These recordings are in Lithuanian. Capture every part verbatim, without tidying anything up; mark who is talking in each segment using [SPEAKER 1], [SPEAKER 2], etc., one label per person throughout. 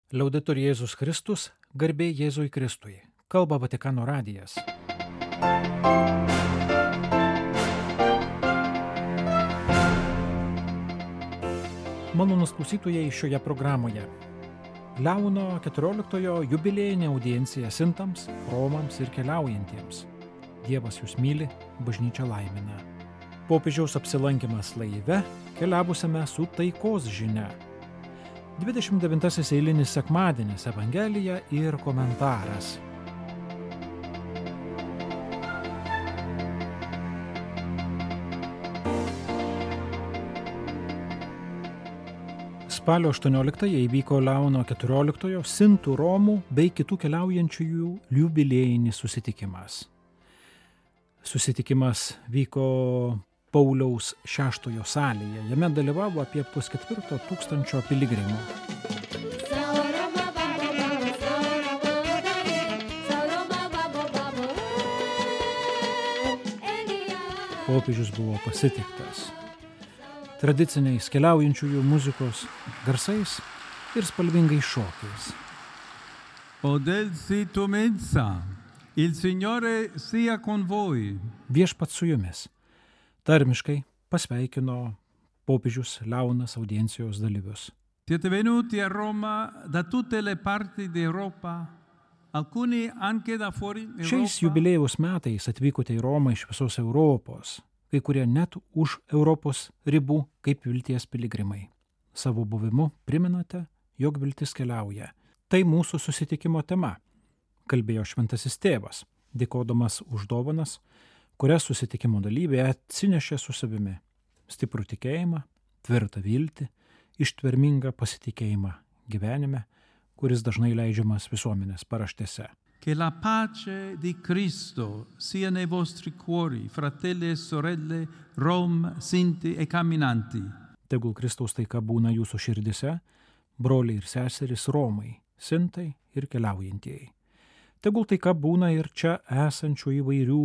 [SPEAKER 1] Liaudetur Jėzus Kristus, garbė Jėzui Kristui. Kalba Vatikano radijas. Malonūs klausytojai šioje programoje. Leono keturioliktojo jubiliejinė audiencija sintams, romams ir keliaujantiems. Dievas jūs myli, bažnyčia laimina. Popiežiaus apsilankymas laive, keliavusiame su taikos žinia. dvidešimt devintasis eilinis sekmadienis, Evangelija ir komentaras. Spalio aštuonioliktąją įvyko Leono keturioliktojo sintų, romų bei kitų keliaujančiųjų jubiliejinis susitikimas. Susitikimas vyko Pauliaus šeštojo salėje. Jame dalyvavo apie pusketvirto tūkstančio piligrimų. Popiežius buvo pasitiktas tradiciniais keliaujančiųjų muzikos garsais ir spalvingais šokiais.
[SPEAKER 2] Odelsi tu mensa, il Signore sia con voi.
[SPEAKER 1] Viešpats su jumis. Tarmiškai pasveikino popiežius Leonas audiencijos dalyvius.
[SPEAKER 2] Siete venuti a Roma da tutte le parti d'Europa, alcuni anche da fuori Europa.
[SPEAKER 1] Šiais jubiliejaus metais atvykote į Romą iš visos Europos, kai kurie net už Europos ribų kaip vilties piligrimai. Savo buvimu priminate, jog viltis keliauja. Tai mūsų susitikimo tema, kalbėjo šventasis tėvas, dėkodamas už dovanas, kurias susitikimo dalyviai atsinešė su savimi. Stiprų tikėjimą, tvirtą viltį, ištvermingą pasitikėjimą gyvenime, kuris dažnai leidžiamas visuomenės paraštėse.
[SPEAKER 2] Che la pace di Cristo sia nei vostri cuori, fratelli e sorelle, rom, sinti e camminanti.
[SPEAKER 1] Tegul Kristaus taika būna jūsų širdise, broliai ir seserys romai, sintai ir keliaujantieji. Tegul taika būna ir čia esančių įvairių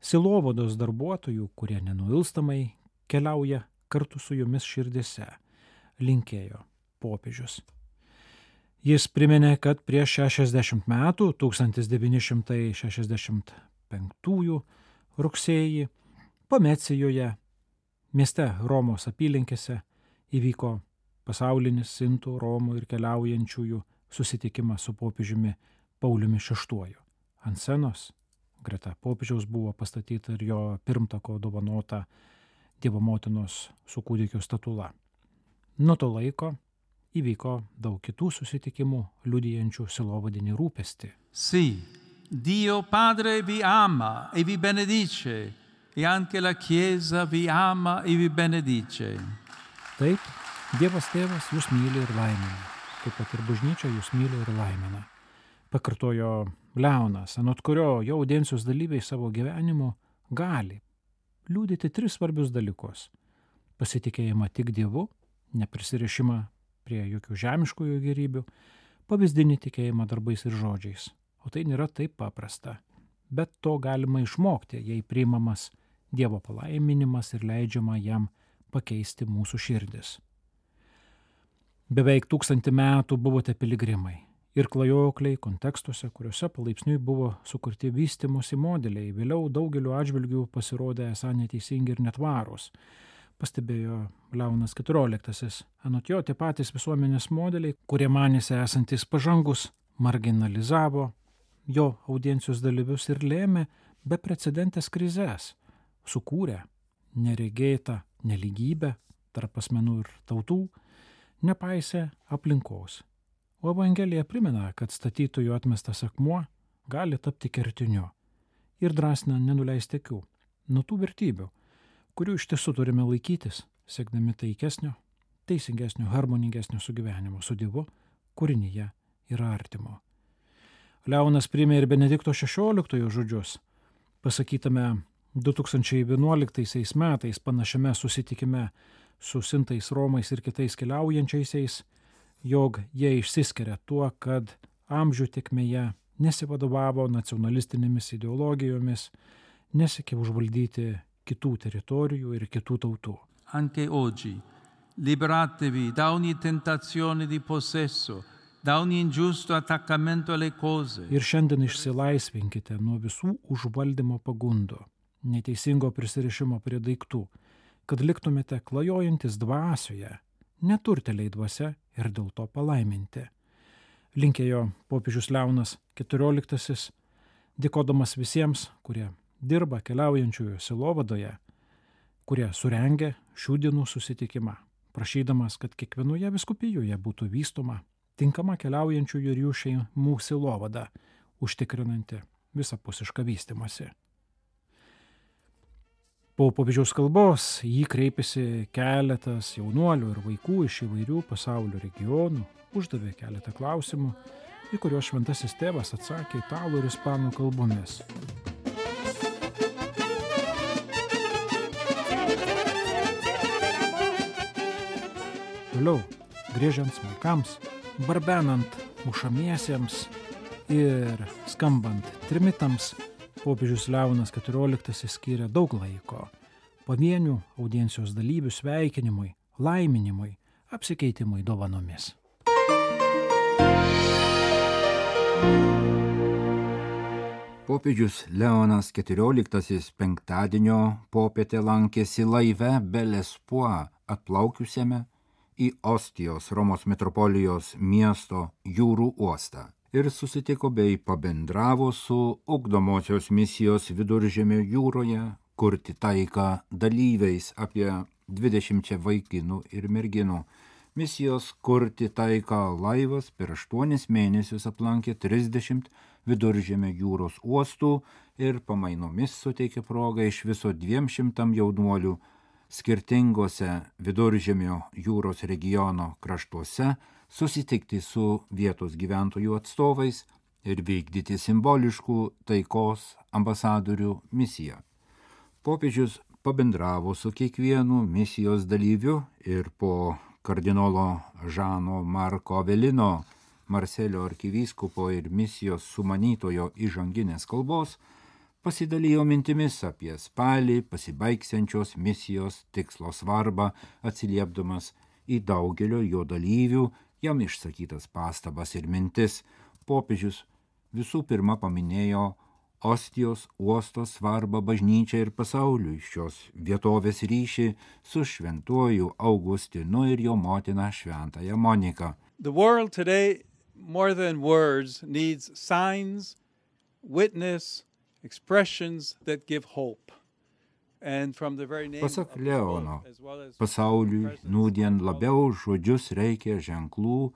[SPEAKER 1] silovados darbuotojų, kurie nenuilstamai keliauja kartu su jumis širdise, linkėjo popiežius. Jis priminė, kad prieš šešiasdešimt metų, tūkstantis devyni šimtai šešiasdešimt penktųjų rugsėjį, Pamecijoje, mieste Romos apylinkėse, įvyko pasaulinis sintų, romų ir keliaujančiųjų susitikimas su popiežiumi Pauliumi šeštuoju. Ant scenos greta popiežiaus buvo pastatyta ir jo pirmtako dovanota Dievo motinos su kūdikio statula. Nuo to laiko įvyko daug kitų susitikimų liudijančių silovadinį rūpestį.
[SPEAKER 2] Sì, Dio Padre vi ama e vi benedice, e anche la Chiesa vi ama e vi benedice.
[SPEAKER 1] Taip, Dievas Tėvas jūs myli ir laimina, kaip pat ir bažnyčia jūs myli ir laimina. Pakartojo Leonas, anot kurio jo audiencijos dalyviai savo gyvenimu gali liudyti tris svarbius dalykus. Pasitikėjimą tik Dievu, neprisirišimą prie jokių žemiškųjų gerybių, pavyzdinį tikėjimą darbais ir žodžiais. O tai nėra taip paprasta. Bet to galima išmokti, jei priimamas Dievo palaiminimas ir leidžiama jam pakeisti mūsų širdis. Beveik tūkstantį metų buvote piligrimai ir klajokliai kontekstuose, kuriuose palaipsniui buvo sukurti vystymosi modeliai, vėliau daugeliu atžvilgių pasirodė esą neteisingi ir netvarūs. Pastebėjo Leonas keturioliktasis. Anot jo, tie patys visuomenės modeliai, kurie manėsi esantis pažangus, marginalizavo jo audiencijos dalyvius ir lėmė beprecedentės krizes, sukūrė neregėtą nelygybę tarp asmenų ir tautų, nepaisė aplinkos. O Evangelija primena, kad statytojų atmestas akmuo gali tapti kertiniu ir drąsina nenuleisti akių nuo tų vertybių, kurių iš tiesų turime laikytis, siekdami taikesnio, teisingesnio, harmoningesnio sugyvenimo su Dievu, kūrinyje ir artimo. Leonas priėmė ir Benedikto šešioliktojo žodžius, pasakytame du tūkstančiai vienuoliktaisiais metais panašiame susitikime su sintais, romais ir kitais keliaujančiaisiais, jog jie išsiskiria tuo, kad amžių tėkmėje nesivadovavo nacionalistinėmis ideologijomis, nesiekė užvaldyti kitų teritorijų ir kitų tautų.
[SPEAKER 2] Anche oggi liberatevi da ogni tentazione di possesso da ogni ingiusto attaccamento alle cose,
[SPEAKER 1] Ir šiandien išsilaisvinkite nuo visų užvaldymo pagundų, neteisingo prisirišimo prie daiktų, kad liktumėte klajojantis dvasioje, neturteliai dvasia ir dėl to palaiminti. Linkėjo popiežius Leonas keturioliktasis, dėkodamas visiems, kurie dirba keliaujančiųjų sielovadoje, kurie surengė šių dienų susitikimą, prašydamas, kad kiekvienoje vyskupijoje būtų vystoma tinkama keliaujančiųjų ir jų šeimų sielovada, užtikrinanti visapusišką vystymąsi. Po popiežiaus kalbos jį kreipėsi keletas jaunuolių ir vaikų iš įvairių pasaulio regionų, uždavė keletą klausimų, į kuriuos šventasis tėvas atsakė italų ir ispanų kalbomis. Toliau, griežiant smuikams, barbenant mušamiesiems ir skambant trimitams, popiežius Leonas keturioliktasis skyrė daug laiko pavienių audiencijos dalyvių sveikinimui, laiminimui, apsikeitimui dovanomis.
[SPEAKER 3] Popiežius Leonas keturioliktasis penktadienio popietę lankėsi laive Belespoa atplaukiusiame į Ostijos Romos metropolijos miesto jūrų uostą ir susitiko bei pabendravo su ugdomosios misijos Viduržemio jūroje kurti taiką dalyviais apie dvidešimčia vaikinų ir merginų. Misijos kurti taiką laivas per aštuonis mėnesius aplankė trisdešimt Viduržemio jūros uostų ir pamainomis suteikė progą iš viso dviem šimtam jaunuolių skirtingose Viduržemio jūros regiono kraštuose susitikti su vietos gyventojų atstovais ir vykdyti simboliškų taikos ambasadorių misiją. Popiežius pabendravo su kiekvienu misijos dalyviu ir po kardinolo Žano Marko Avelino, Marselio arkivyskupo ir misijos sumanytojo įžanginės kalbos pasidalijo mintimis apie spalį pasibaigsiančios misijos tikslo svarbą, atsiliepdamas į daugelio jo dalyvių jam išsakytas pastabas ir mintis. Popiežius visų pirma paminėjo Ostijos uosto svarbą bažnyčiai ir pasauliui, šios vietovės ryšį su šventuoju Augustinu ir jo motina šventąją Moniką.
[SPEAKER 2] The world today, more than words, needs signs, witness, expressions that give hope. And from the very name
[SPEAKER 3] Pasak
[SPEAKER 2] of
[SPEAKER 3] Leono,
[SPEAKER 2] hope, as well as
[SPEAKER 3] pasauliui nūdien labiau žodžius reikia ženklų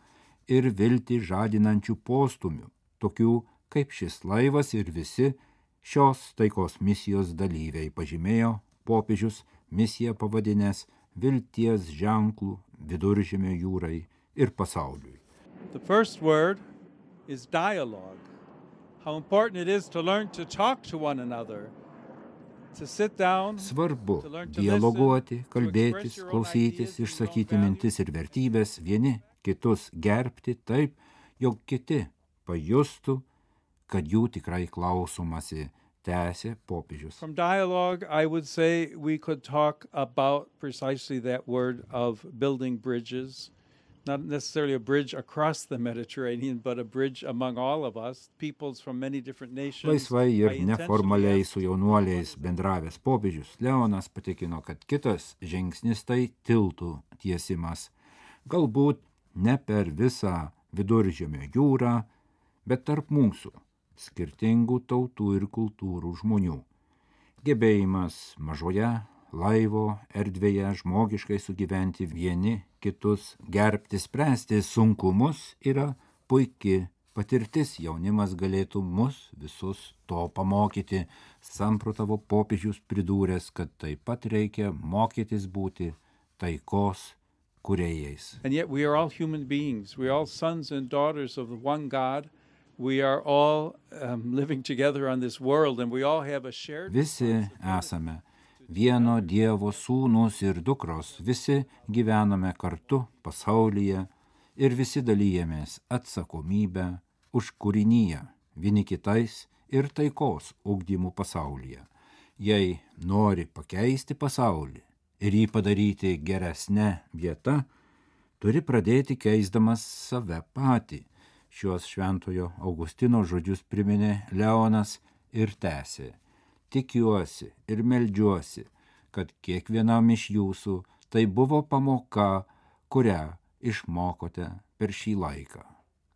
[SPEAKER 3] ir viltį žadinančių postumių, tokių kaip šis laivas ir visi šios taikos misijos dalyviai, pažymėjo popiežius misiją pavadinęs vilties ženklų Viduržemio jūrai ir pasauliui.
[SPEAKER 2] The first word is dialogue. How important it is to learn to talk to one another, to sit down,
[SPEAKER 3] Svarbu
[SPEAKER 2] to learn to
[SPEAKER 3] dialoguoti,
[SPEAKER 2] listen, to
[SPEAKER 3] kalbėtis,
[SPEAKER 2] express your own
[SPEAKER 3] klausytis,
[SPEAKER 2] ideas and your own
[SPEAKER 3] išsakyti
[SPEAKER 2] values.
[SPEAKER 3] mintis ir vertybės, vieni kitus gerbti taip, jog kiti pajustų, kad jų tikrai klausomasi, tęsė popiežius.
[SPEAKER 2] From dialogue, I would say we could talk about precisely that word of building bridges, not necessarily a bridge across the Mediterranean, but a bridge among all of us, peoples from many different nations.
[SPEAKER 3] Laisvai ir
[SPEAKER 2] I intentionally
[SPEAKER 3] neformaliai
[SPEAKER 2] asked
[SPEAKER 3] su jaunuoliais bendravęs popiežius Leonas patikino, kad kitas žingsnis tai tiltų tiesimas. Galbūt ne per visą Viduržemio jūrą, bet tarp mūsų, skirtingų tautų ir kultūrų žmonių. Gebėjimas mažoje laivo erdvėje žmogiškai sugyventi vieni kitus, gerbti, spręsti sunkumus yra puiki patirtis. Jaunimas galėtų mus visus to pamokyti. Samprotavo popiežius pridūręs, kad taip pat reikia mokytis būti taikos kūrėjais.
[SPEAKER 2] And yet we are all human beings. We are all sons and daughters of the one God. We are all um, living together on this world, and we all have a shared
[SPEAKER 3] Visi esame vieno Dievo sūnūs ir dukros, visi gyvename kartu pasaulyje ir visi dalyjamės atsakomybę už kūrinyje, vieni kitais ir taikos ugdymų pasaulyje. Jei nori pakeisti pasaulį ir jį padaryti geresnę vietą, turi pradėti keisdamas save patį. Šiuos šventojo Augustino žodžius priminė Leonas ir tęsė. Tikiuosi ir meldžiuosi, kad kiekvienam iš jūsų tai buvo pamoka, kurią išmokote per šį laiką.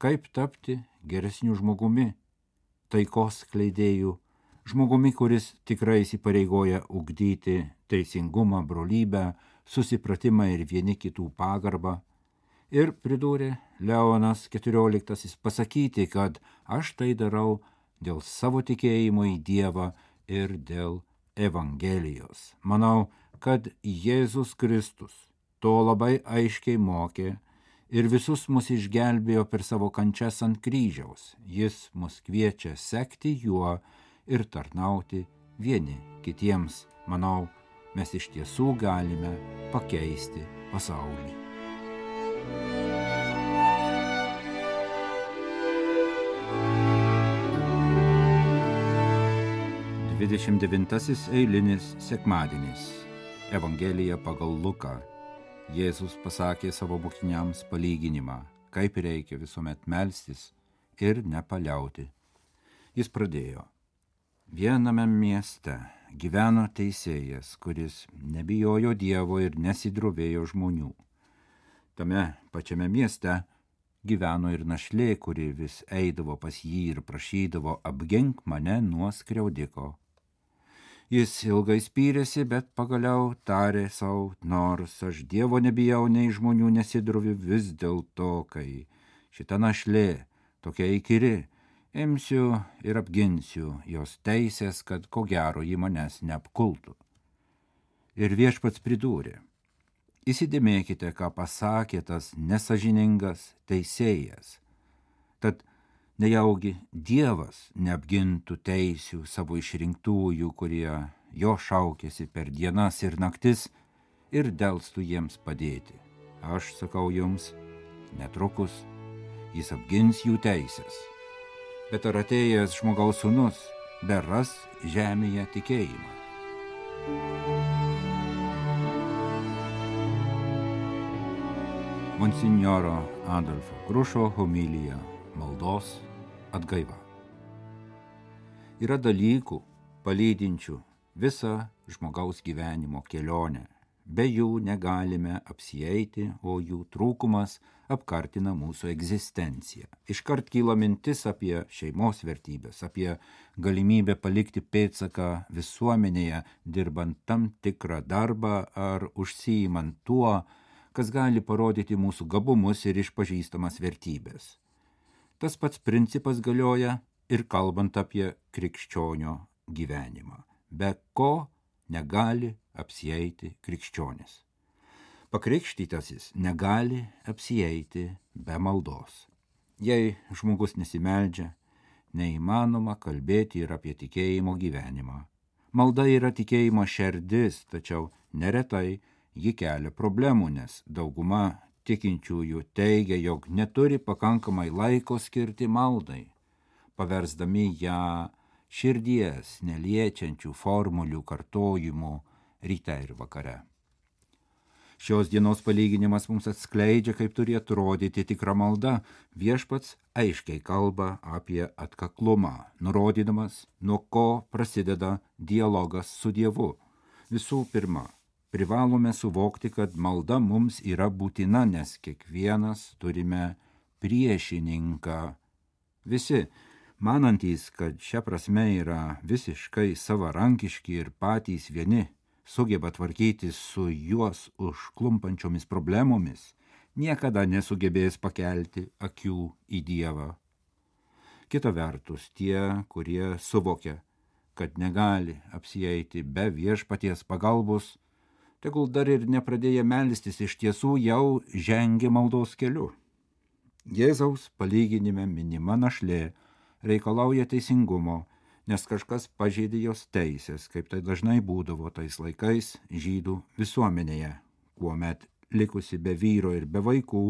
[SPEAKER 3] Kaip tapti geresniu žmogumi, taikos skleidėjų, žmogumi, kuris tikrai įsipareigoja ugdyti teisingumą, brolybę, susipratimą ir vieni kitų pagarbą. Ir pridūrė Leonas keturioliktasis pasakyti, kad aš tai darau dėl savo tikėjimo į Dievą ir dėl Evangelijos. Manau, kad Jėzus Kristus to labai aiškiai mokė ir visus mus išgelbėjo per savo kančias ant kryžiaus. Jis mus kviečia sekti juo ir tarnauti vieni kitiems. Manau, mes iš tiesų galime pakeisti pasaulį. dvidešimt devintasis eilinis sekmadienis. Evangelija pagal Luką. Jėzus pasakė savo mokiniams palyginimą, kaip reikia visuomet melstis ir nepaliauti. Jis pradėjo. Viename mieste gyveno teisėjas, kuris nebijojo Dievo ir nesidrovėjo žmonių. Tame pačiame mieste gyveno ir našlė, kuri vis eidavo pas jį ir prašydavo apgink mane nuo skriaudiko. Jis ilgai spyrėsi, bet pagaliau tarė sau, nors aš Dievo nebijau, nei žmonių nesidroviu, vis dėlto, kai šita našlė tokia įkyri, imsiu ir apginsiu jos teisės, kad ko gero ji manęs neapkultų. Ir viešpats pridūrė, įsidėmėkite, ką pasakė tas nesažiningas teisėjas, tad nejaugi Dievas neapgintų teisių savo išrinktųjų, kurie jo šaukėsi per dienas ir naktis ir delstų jiems padėti. Aš sakau jums, netrukus jis apgins jų teisės. Bet ar atėjęs žmogaus sūnus beras žemėje tikėjimą? Monsinjoro Adolfo Grušo homilija maldos atgaiva. Yra dalykų, palydinčių visą žmogaus gyvenimo kelionę. Be jų negalime apsieiti, o jų trūkumas apkartina mūsų egzistenciją. Iškart kyla mintis apie šeimos vertybės, apie galimybę palikti pėdsaką visuomenėje, dirbant tam tikrą darbą ar užsiimant tuo, kas gali parodyti mūsų gabumus ir išpažįstamas vertybės. Tas pats principas galioja ir kalbant apie krikščionio gyvenimą. Be ko negali apsieiti krikščionis. Pakrikštytasis negali apsieiti be maldos. Jei žmogus nesimeldžia, neįmanoma kalbėti ir apie tikėjimo gyvenimą. Malda yra tikėjimo šerdis, tačiau neretai ji kelia problemų, nes dauguma tikinčiųjų teigia, jog neturi pakankamai laiko skirti maldai, paversdami ją širdies neliečiančių formulių kartojimų ryte ir vakare. Šios dienos palyginimas mums atskleidžia, kaip turi atrodyti tikra malda. Viešpats aiškiai kalba apie atkaklumą, nurodydamas, nuo ko prasideda dialogas su Dievu. Visų pirma, privalome suvokti, kad malda mums yra būtina, nes kiekvienas turime priešininką. Visi, manantys, kad šia prasme yra visiškai savarankiški ir patys vieni, sugeba tvarkytis su juos užklumpančiomis problemomis, niekada nesugebės pakelti akių į Dievą. Kita vertus, tie, kurie suvokia, kad negali apsieiti be viešpaties pagalbos, tegul dar ir nepradėję melstis iš tiesų jau žengia maldos keliu. Jėzaus palyginime minima našlė reikalauja teisingumo, nes kažkas pažeidė jos teisės, kaip tai dažnai būdavo tais laikais žydų visuomenėje, kuomet likusi be vyro ir be vaikų,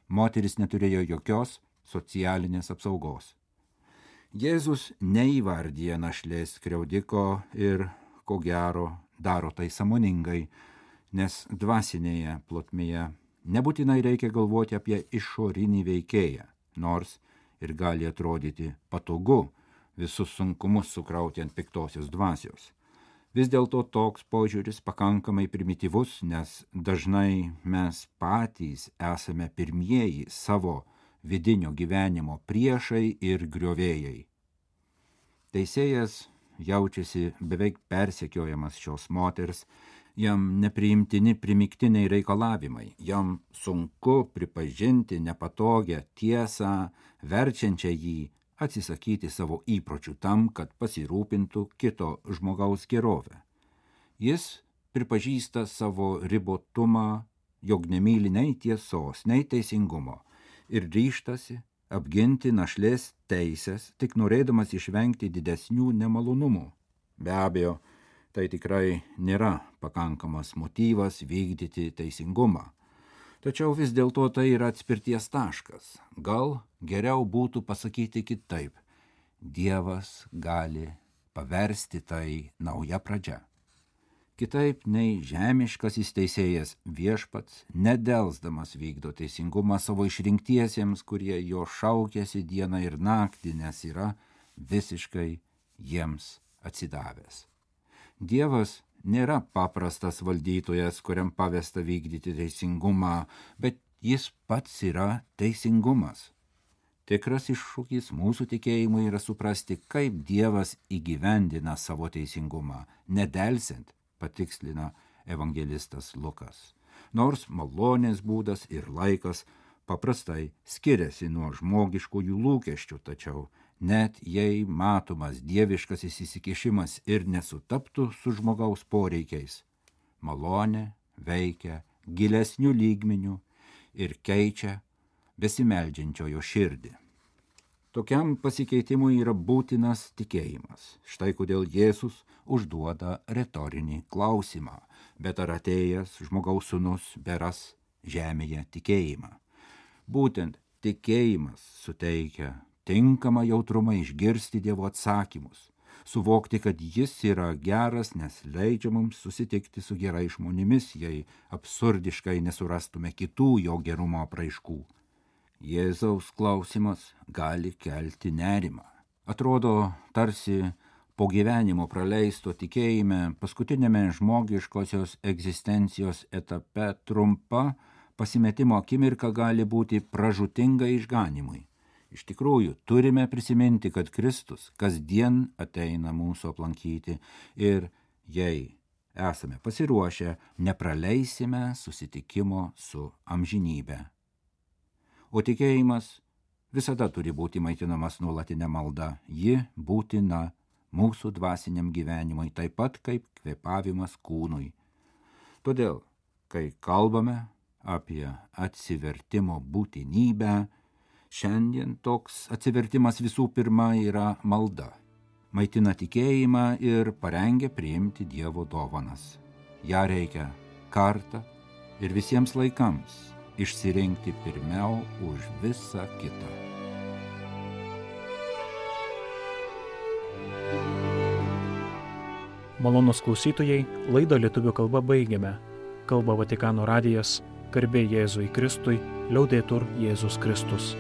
[SPEAKER 3] moteris neturėjo jokios socialinės apsaugos. Jėzus neįvardyja našlės skriaudiko ir, ko gero, daro tai sąmoningai, nes dvasinėje plotmėje nebūtinai reikia galvoti apie išorinį veikėją, nors ir gali atrodyti patogu visus sunkumus sukrauti ant piktosios dvasios. Vis dėlto toks požiūris pakankamai primityvus, nes dažnai mes patys esame pirmieji savo vidinio gyvenimo priešai ir griovėjai. Teisėjas jaučiasi beveik persekiojamas šios moters, jam nepriimtini primiktiniai reikalavimai, jam sunku pripažinti nepatogią tiesą, verčiančią jį atsisakyti savo įpročių tam, kad pasirūpintų kito žmogaus gerovę. Jis pripažįsta savo ribotumą, jog nemyli nei tiesos, nei teisingumo ir ryžtasi apginti našlės teisės, tik norėdamas išvengti didesnių nemalonumų. Be abejo, tai tikrai nėra pakankamas motyvas vykdyti teisingumą. Tačiau vis dėlto tai yra atspirties taškas. Gal geriau būtų pasakyti kitaip. Dievas gali paversti tai nauja pradžia. Kitaip nei žemiškasis teisėjas, viešpats nedelsdamas vykdo teisingumą savo išrinktiesiems, kurie jo šaukėsi dieną ir naktį, nes yra visiškai jiems atsidavęs. Dievas nėra paprastas valdytojas, kuriam pavesta vykdyti teisingumą, bet jis pats yra teisingumas. Tikras iššūkis mūsų tikėjimui yra suprasti, kaip Dievas įgyvendina savo teisingumą, nedelsiant, patikslina evangelistas Lukas. Nors malonės būdas ir laikas paprastai skiriasi nuo žmogiškųjų lūkesčių, tačiau net jei matomas dieviškasis įsikišimas ir nesutaptų su žmogaus poreikiais, malonė veikia gilesnių lygmenių ir keičia besimeldžiančiojo širdį. Tokiam pasikeitimui yra būtinas tikėjimas. Štai kodėl Jėzus užduoda retorinį klausimą, bet ar atėjęs žmogaus sūnus beras žemėje tikėjimą. Būtent tikėjimas suteikia tinkamą jautrumą išgirsti Dievo atsakymus, suvokti, kad jis yra geras, nes leidžia mums susitikti su gerais žmonėmis, jei absurdiškai nesurastume kitų jo gerumo apraiškų. Jėzaus klausimas gali kelti nerimą. Atrodo, tarsi po gyvenimo praleisto tikėjime paskutinėme žmogiškosios egzistencijos etape trumpa pasimetimo akimirka gali būti pražūtinga išganimui. Iš tikrųjų, turime prisiminti, kad Kristus kasdien ateina mūsų aplankyti ir jei esame pasiruošę, nepraleisime susitikimo su amžinybe. O tikėjimas visada turi būti maitinamas nuolatinė malda. Ji būtina mūsų dvasiniam gyvenimui, taip pat kaip kvėpavimas kūnui. Todėl, kai kalbame apie atsivertimo būtinybę, šiandien toks atsivertimas visų pirma yra malda. Maitina tikėjimą ir parengia priimti Dievo dovanas. Ja reikia kartą ir visiems laikams išsirinkti pirmiau už visą kitą.
[SPEAKER 1] Malonūs klausytojai, laidą lietuvių kalba baigiame. Kalba Vatikano radijas, garbė Jėzui Kristui, liaudetur Jėzus Kristus.